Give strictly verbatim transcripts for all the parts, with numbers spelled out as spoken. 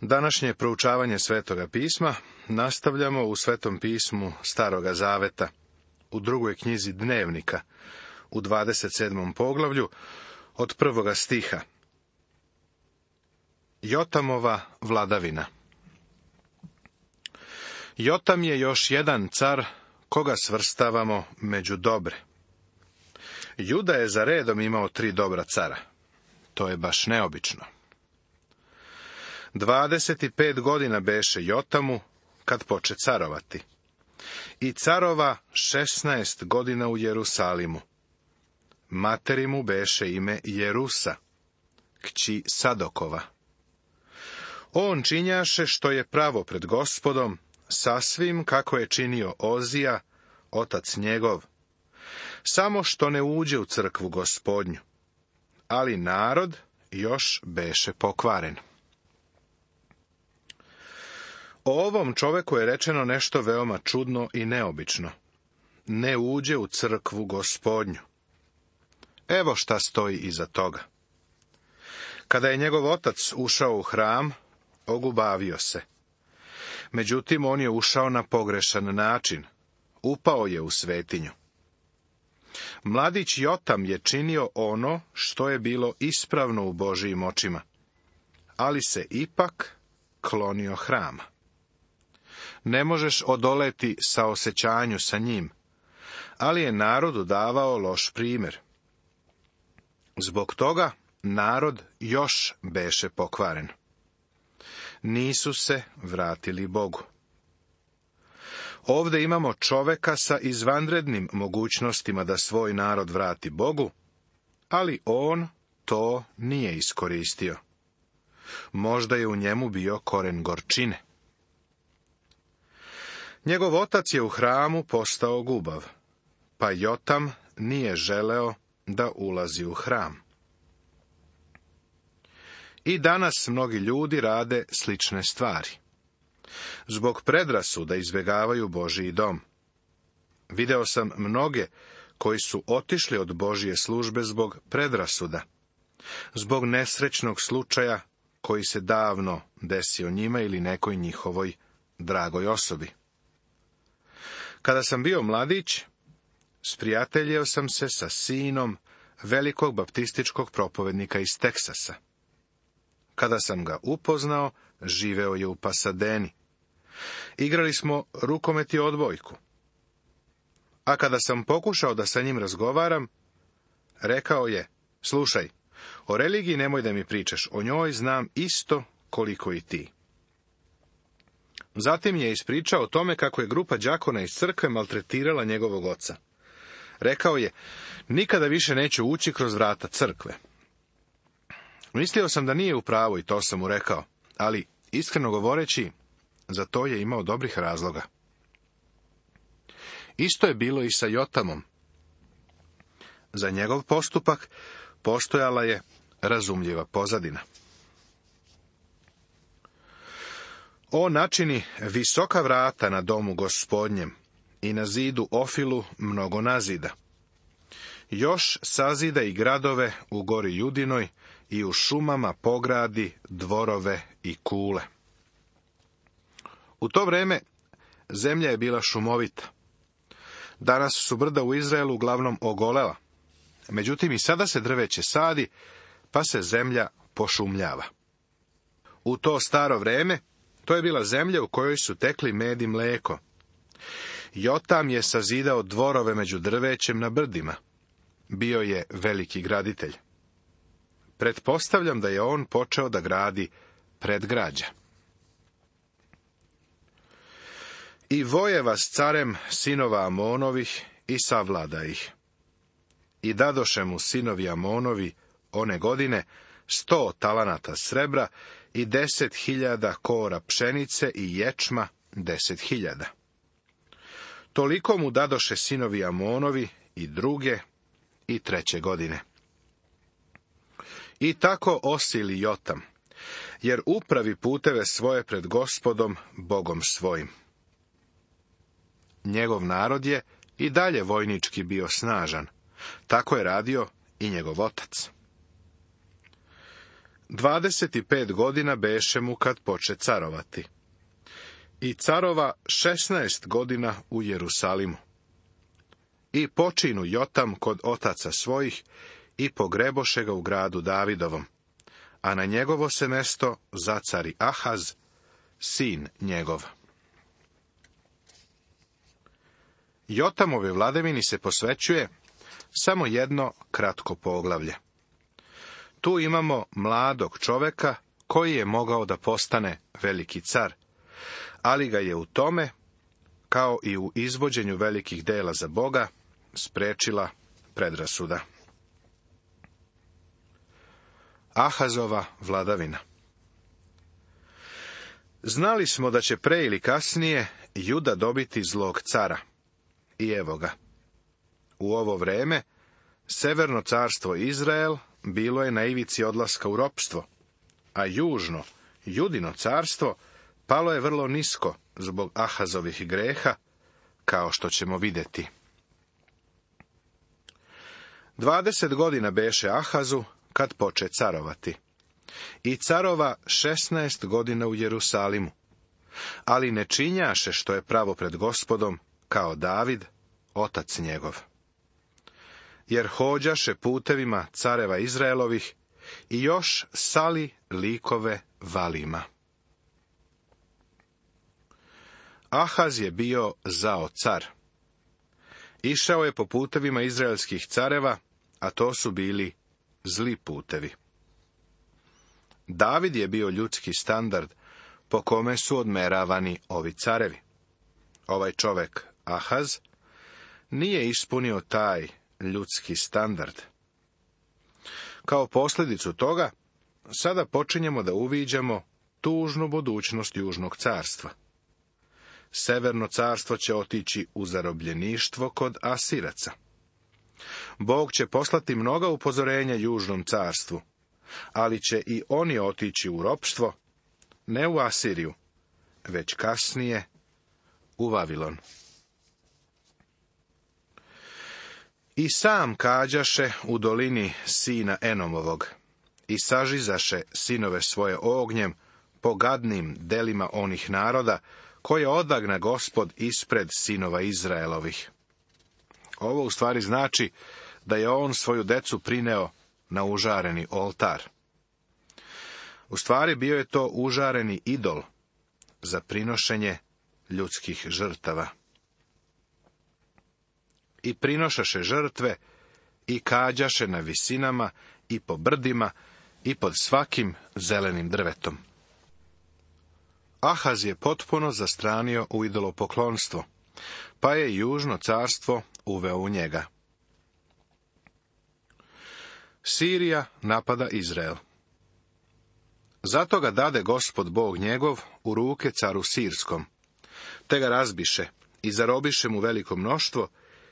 Današnje proučavanje Svetoga pisma nastavljamo u Svetom pismu Staroga zaveta, u drugoj knjizi Dnevnika, u dvadeset sedmom poglavlju, od prvoga stiha. Jotamova vladavina. Jotam je još jedan car koga svrstavamo među dobre. Juda je za redom imao tri dobra cara. To je baš neobično. Dvadeset pet godina beše Jotamu kad poče carovati. I carova šesnaest godina u Jerusalimu. Materi mu beše ime Jerusa, kći Sadokova. On činjaše što je pravo pred Gospodom, sasvim kako je činio Ozija, otac njegov, samo što ne uđe u crkvu Gospodnju. Ali narod još beše pokvaren. O ovom čoveku je rečeno nešto veoma čudno i neobično. Ne uđe u crkvu Gospodnju. Evo šta stoji iza toga. Kada je njegov otac ušao u hram, ogubavio se. Međutim, on je ušao na pogrešan način. Upao je u svetinju. Mladić Jotam je činio ono što je bilo ispravno u Božijim očima, ali se ipak klonio hrama. Ne možeš odoleti saosećanju sa njim, ali je narodu davao loš primjer. Zbog toga narod još beše pokvaren. Nisu se vratili Bogu. Ovdje imamo čoveka sa izvanrednim mogućnostima da svoj narod vrati Bogu, ali on to nije iskoristio. Možda je u njemu bio koren gorčine. Njegov otac je u hramu postao gubav, pa Jotam nije želeo da ulazi u hram. I danas mnogi ljudi rade slične stvari. Zbog predrasuda izbjegavaju Božiji dom. Video sam mnoge koji su otišli od Božije službe zbog predrasuda, zbog nesrećnog slučaja koji se davno desio njima ili nekoj njihovoj dragoj osobi. Kada sam bio mladić, sprijateljio sam se sa sinom velikog baptističkog propovednika iz Teksasa. Kada sam ga upoznao, živeo je u Pasadeni. Igrali smo rukomet i odbojku. A kada sam pokušao da sa njim razgovaram, rekao je: slušaj, o religiji nemoj da mi pričaš, o njoj znam isto koliko i ti. Zatim je ispričao o tome kako je grupa đakona iz crkve maltretirala njegovog oca. Rekao je: nikada više neću ući kroz vrata crkve. Mislio sam da nije u pravu i to sam mu rekao, ali iskreno govoreći, za to je imao dobrih razloga. Isto je bilo i sa Jotamom. Za njegov postupak postojala je razumljiva pozadina. On načini visoka vrata na domu Gospodnjem i na zidu Ofilu mnogo nazida. Još sazida i gradove u gori Judinoj i u šumama pogradi dvorove i kule. U to vreme zemlja je bila šumovita. Danas su brda u Izraelu uglavnom ogolela. Međutim, i sada se drveće sadi, pa se zemlja pošumljava. U to staro vreme, to je bila zemlja u kojoj su tekli med i mleko. Jotam je sazidao dvorove među drvećem na brdima. Bio je veliki graditelj. Pretpostavljam da je on počeo da gradi predgrađa. I vojeva s carem sinova Amonovih i savlada ih. I dadoše mu sinovi Amonovi one godine sto talanata srebra i deset hiljada kora pšenice i ječma deset hiljada. Toliko mu dadoše sinovi Amonovi i druge i treće godine. I tako osili Jotam, jer upravi puteve svoje pred Gospodom, Bogom svojim. Njegov narod je i dalje vojnički bio snažan. Tako je radio i njegov otac. Dvadeset pet godina beše mu kad poče carovati. I carova šesnaest godina u Jerusalimu. I počinu Jotam kod otaca svojih i pogreboše ga u gradu Davidovom, a na njegovo se mesto zacari Ahaz, sin njegov. Jotamove vladavini se posvećuje samo jedno kratko poglavlje. Tu imamo mladog čoveka koji je mogao da postane veliki car, ali ga je u tome, kao i u izvođenju velikih dela za Boga, sprečila predrasuda. Ahazova vladavina. Znali smo da će pre ili kasnije Juda dobiti zlog cara. I evo ga. U ovo vreme severno carstvo Izrael bilo je na ivici odlaska u ropstvo, a južno, Judino carstvo, palo je vrlo nisko zbog Ahazovih greha, kao što ćemo vidjeti. Dvadeset godina beše Ahazu kad poče carovati. I carova šesnaest godina u Jerusalimu, ali ne činjaše što je pravo pred Gospodom, kao David, otac njegov. Jer hođaše putevima careva Izraelovih i još sali likove valima. Ahaz je bio zao car. Išao je po putevima izraelskih careva, a to su bili zli putevi. David je bio ljudski standard po kome su odmeravani ovi carevi. Ovaj čovek, Ahaz, nije ispunio taj ljudski standard. Kao posljedicu toga, sada počinjemo da uviđamo tužnu budućnost južnog carstva. Severno carstvo će otići u zarobljeništvo kod Asiraca. Bog će poslati mnoga upozorenja južnom carstvu, ali će i oni otići u ropstvo, ne u Asiriju, već kasnije u Vavilon. I sam kađaše u dolini sina Enomovog i sažizaše sinove svoje ognjem po gadnim delima onih naroda koje odagna Gospod ispred sinova Izraelovih. Ovo u stvari znači da je on svoju decu prineo na užareni oltar. U stvari bio je to užareni idol za prinošenje ljudskih žrtava. I prinošaše žrtve i kađaše na visinama i po brdima i pod svakim zelenim drvetom. Ahaz je potpuno zastranio u idolopoklonstvo, pa je južno carstvo uveo u njega. Sirija napada Izrael. Zato ga dade Gospod Bog njegov u ruke caru Sirskom, te ga razbiše i zarobiše mu veliko mnoštvo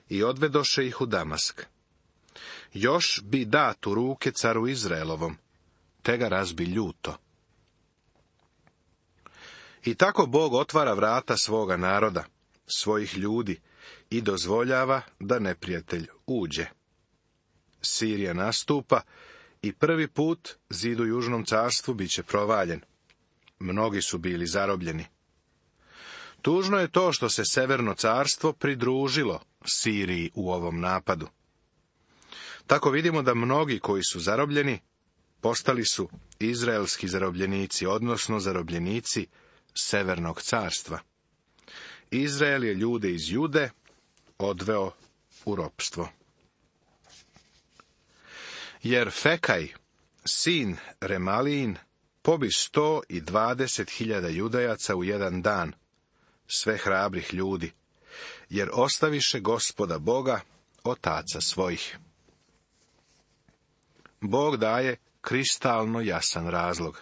i odvedoše ih u Damask. Još bi dat u ruke caru Izraelovom, te ga razbi ljuto. I tako Bog otvara vrata svoga naroda, svojih ljudi, i dozvoljava da neprijatelj uđe. Sirija nastupa i prvi put zid u južnom carstvu bit će provaljen. Mnogi su bili zarobljeni. Tužno je to što se severno carstvo pridružilo Siriji u ovom napadu. Tako vidimo da mnogi koji su zarobljeni postali su izraelski zarobljenici, odnosno zarobljenici severnog carstva. Izrael je ljude iz Jude odveo u ropstvo. Jer Fekaj, sin Remalijin, pobi sto i dvadeset hiljada Judajaca u jedan dan, sve hrabrih ljudi, jer ostaviše Gospoda Boga, otaca svojih. Bog daje kristalno jasan razlog.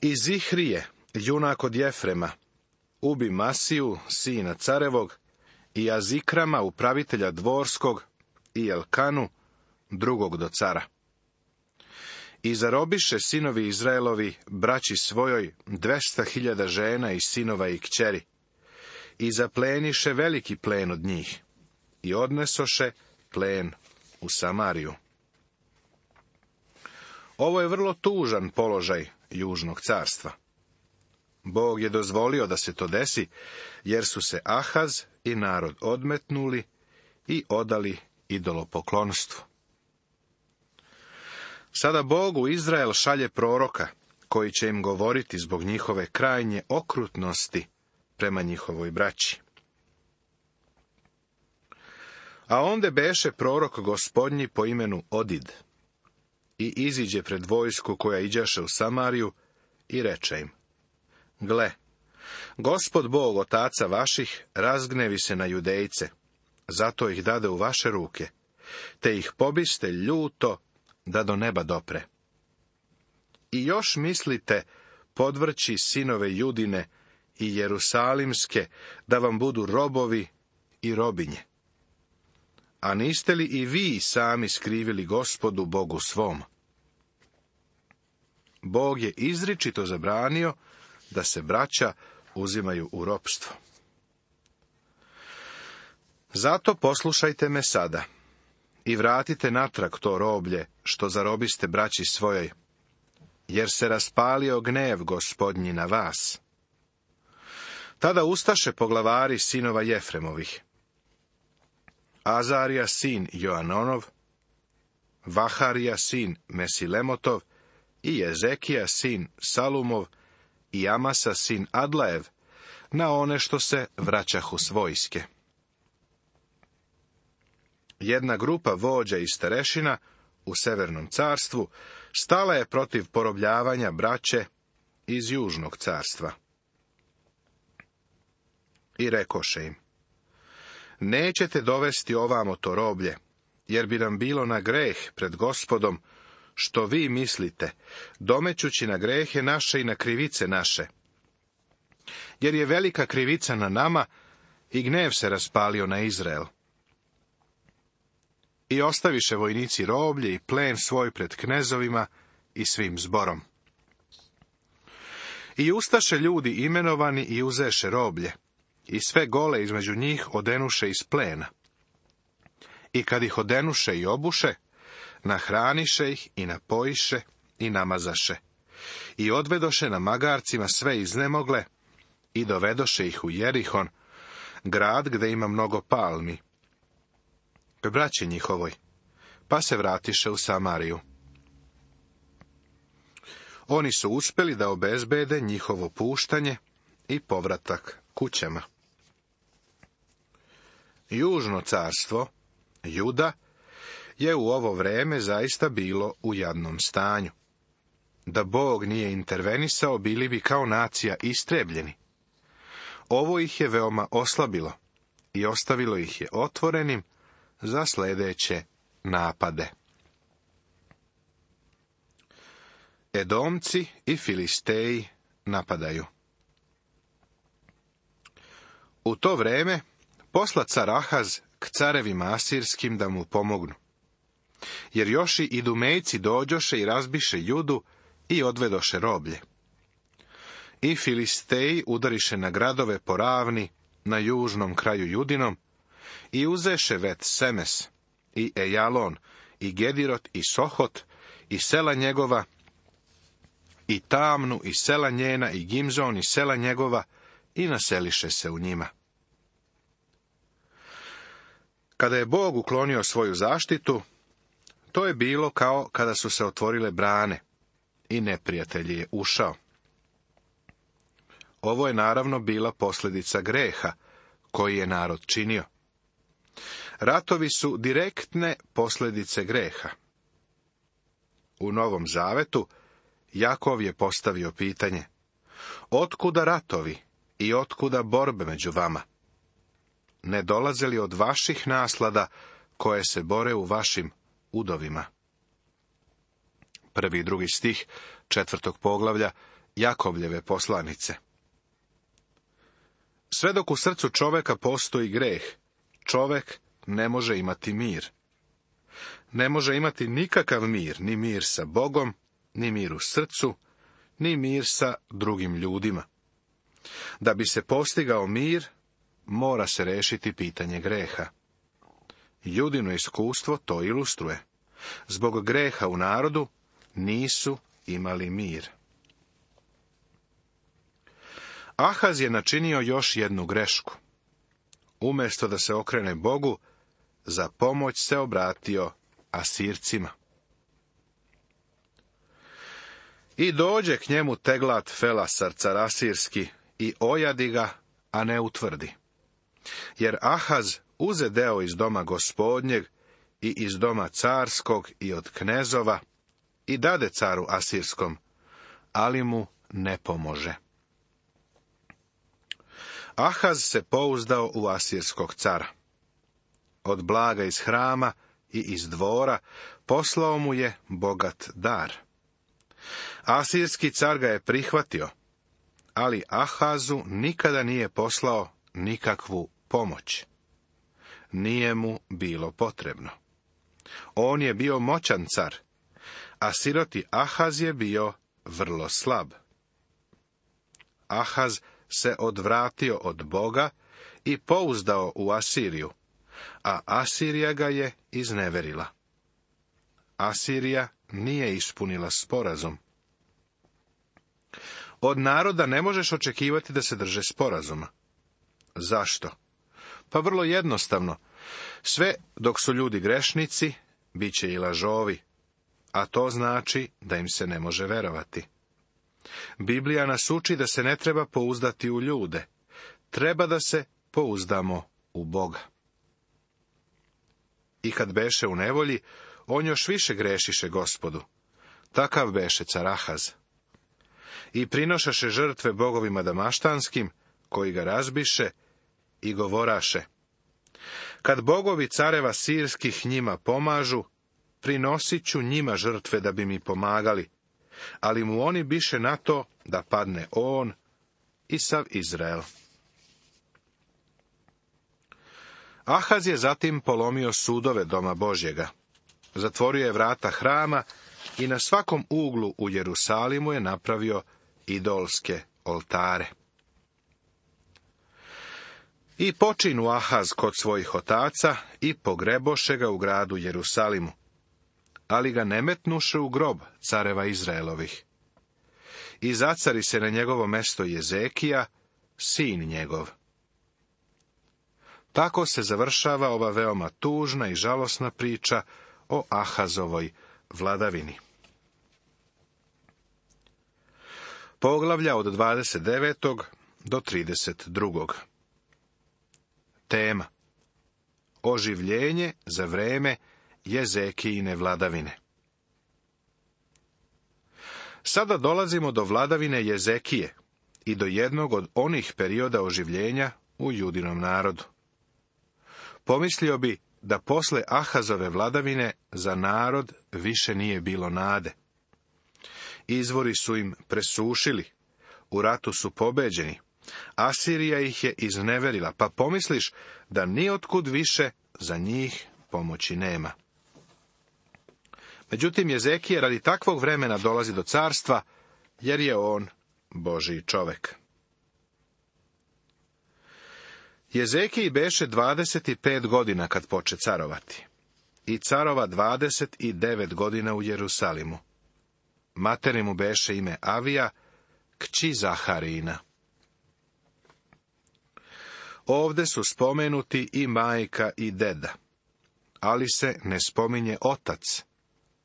I Zihrije, junak od Jefrema, ubi Masiju, sina carevog, i Azikrama, upravitelja dvorskog, i Elkanu, drugog do cara. I zarobiše sinovi Izraelovi braći svojoj dvesta hiljada žena i sinova i kćeri, i zapleniše veliki plen od njih, i odnesoše plen u Samariju. Ovo je vrlo tužan položaj južnog carstva. Bog je dozvolio da se to desi, jer su se Ahaz i narod odmetnuli i odali idolopoklonstvu. Sada Bog u Izrael šalje proroka, koji će im govoriti zbog njihove krajnje okrutnosti prema njihovoj braći. A onde beše prorok gospodnji po imenu Odid, i iziđe pred vojsku koja iđaše u Samariju, i reče im: Gle, Gospod Bog otaca vaših razgnevi se na Judejce, zato ih dade u vaše ruke, te ih pobiste ljuto da do neba dopre. I još mislite podvrći sinove Judine i Jerusalimske da vam budu robovi i robinje. A niste li i vi sami skrivili Gospodu Bogu svom? Bog je izričito zabranio da se braća uzimaju u ropstvo. Zato poslušajte me sada i vratite natrag to roblje što zarobiste braći svojoj, jer se raspalio gnev Gospodnji na vas. Tada ustaše poglavari sinova Jefremovih: Azarija sin Joanonov, Vaharija sin Mesilemotov i Jezekija sin Salumov i Amasa sin Adlaev, na one što se vraćahu s vojske. Jedna grupa vođa i starešina u Severnom carstvu stala je protiv porobljavanja braće iz Južnog carstva. I rekoše im: Nećete dovesti ovamo to roblje, jer bi nam bilo na greh pred Gospodom, što vi mislite, domećući na grehe naše i na krivice naše. Jer je velika krivica na nama i gnev se raspalio na Izrael. I ostaviše vojnici roblje i plen svoj pred knezovima i svim zborom. I ustaše ljudi imenovani i uzeše roblje, i sve gole između njih odenuše iz plena. I kad ih odenuše i obuše, nahraniše ih i napojiše i namazaše. I odvedoše na magarcima sve iznemogle i dovedoše ih u Jerihon, grad gde ima mnogo palmi, k braći njihovoj, pa se vratiše u Samariju. Oni su uspeli da obezbede njihovo puštanje i povratak kućama. Južno carstvo, Juda, je u ovo vreme zaista bilo u jadnom stanju. Da Bog nije intervenisao, bili bi kao nacija istrebljeni. Ovo ih je veoma oslabilo i ostavilo ih je otvorenim za sljedeće napade. Edomci i Filisteji napadaju. U to vreme posla car Ahaz k carevima asirskim da mu pomognu. Jer još i Idumejci dođoše i razbiše Judu i odvedoše roblje. I Filisteji udariše na gradove po ravni na južnom kraju Judinom i uzeše Vet Semes i Ejalon i Gedirot i Sohot i sela njegova i Tamnu i sela njena i Gimzon i sela njegova i naseliše se u njima. Kada je Bog uklonio svoju zaštitu, to je bilo kao kada su se otvorile brane i neprijatelj je ušao. Ovo je naravno bila posljedica greha koji je narod činio. Ratovi su direktne posljedice greha. U Novom Zavetu Jakov je postavio pitanje: otkuda ratovi i otkuda borbe među vama? Ne dolaze li od vaših naslada koje se bore u vašim udovima? Prvi i drugi stih četvrtog poglavlja Jakovljeve poslanice. Sve dok u srcu čoveka postoji greh, čovek ne može imati mir. Ne može imati nikakav mir, ni mir sa Bogom, ni mir u srcu, ni mir sa drugim ljudima. Da bi se postigao mir, mora se rešiti pitanje greha. Judino iskustvo to ilustruje. Zbog greha u narodu, nisu imali mir. Ahaz je načinio još jednu grešku. Umjesto da se okrene Bogu, za pomoć se obratio Asircima. I dođe k njemu Teglat Felasar, car Asirski, i ojadi ga, a ne utvrdi. Jer Ahaz uze deo iz doma gospodnjeg i iz doma carskog i od knezova i dade caru Asirskom, ali mu ne pomože. Ahaz se pouzdao u asirskog cara. Od blaga iz hrama i iz dvora poslao mu je bogat dar. Asirski car ga je prihvatio, ali Ahazu nikada nije poslao nikakvu pomoć. Nije mu bilo potrebno. On je bio moćan car, a siroti Ahaz je bio vrlo slab. Ahaz se odvratio od Boga i pouzdao u Asiriju, a Asirija ga je izneverila. Asirija nije ispunila sporazum. Od naroda ne možeš očekivati da se drže sporazuma. Zašto? Pa vrlo jednostavno. Sve dok su ljudi grešnici, bit će i lažovi, a to znači da im se ne može verovati. Biblija nas uči da se ne treba pouzdati u ljude, treba da se pouzdamo u Boga. I kad beše u nevolji, on još više grešiše Gospodu. Takav beše car Ahaz. I prinošaše žrtve bogovima damaštanskim, koji ga razbiše, i govoraše: kad bogovi careva sirskih njima pomažu, prinosit ću njima žrtve da bi mi pomagali, ali mu oni biše na to da padne on i sav Izrael. Ahaz je zatim polomio sudove doma Božjega, zatvorio je vrata hrama i na svakom uglu u Jerusalimu je napravio idolske oltare. I počinu Ahaz kod svojih otaca i pogreboše ga u gradu Jerusalimu, ali ga ne metnuše u grob careva Izraelovih. I zacari se na njegovo mesto Jezekija, sin njegov. Tako se završava ova veoma tužna i žalosna priča o Ahazovoj vladavini. Poglavlja od dvadeset devetog do trideset drugog. Tema: oživljenje za vreme Jezekijine vladavine. Sada dolazimo do vladavine Jezekije i do jednog od onih perioda oživljenja u judinom narodu. Pomislio bi da posle Ahazove vladavine za narod više nije bilo nade. Izvori su im presušili, u ratu su pobeđeni, Asirija ih je izneverila, pa pomisliš da niotkud više za njih pomoći nema. Međutim, Jezekije radi takvog vremena dolazi do carstva, jer je on Božji čovek. Jezekiji beše dvadeset pet godina kad poče carovati, i carova dvadeset devet godina u Jerusalimu. Materi mu beše ime Avija, kći Zaharina. Ovde su spomenuti i majka i deda, ali se ne spominje otac,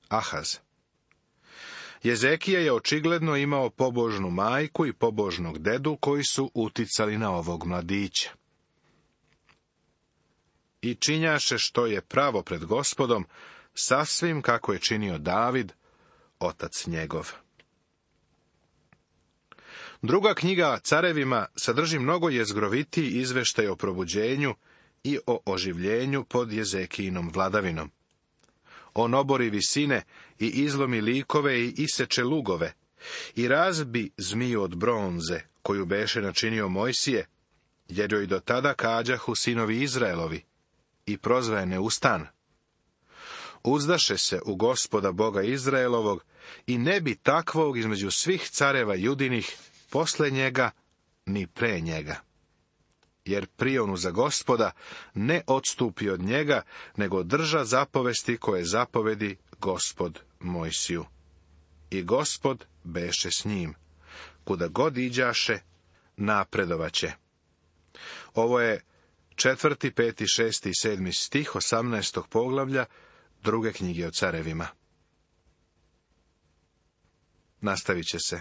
Ahaz. Jezekija je očigledno imao pobožnu majku i pobožnog dedu koji su uticali na ovog mladića. I činjaše što je pravo pred Gospodom, sasvim kako je činio David, otac njegov. Druga knjiga Carevima sadrži mnogo jezgrovitiji izveštaj o probuđenju i o oživljenju pod Jezekijinom vladavinom. On obori visine i izlomi likove i iseče lugove i razbi zmiju od bronze, koju beše načinio Mojsije, jer joj do tada kađahu sinovi Izraelovi, i prozva je neustan. Uzdaše se u Gospoda Boga Izraelovog i ne bi takvog između svih careva judinih posle njega ni pre njega. Jer prionu za Gospoda ne odstupi od njega, nego drža zapovesti koje zapovedi Gospod Mojsiju. i Gospod beše s njim. Kuda god iđaše, napredovaće. Ovo je četvrti, peti, šesti i sedmi stih osamnaestog poglavlja druge knjige o carevima. Nastavit će se.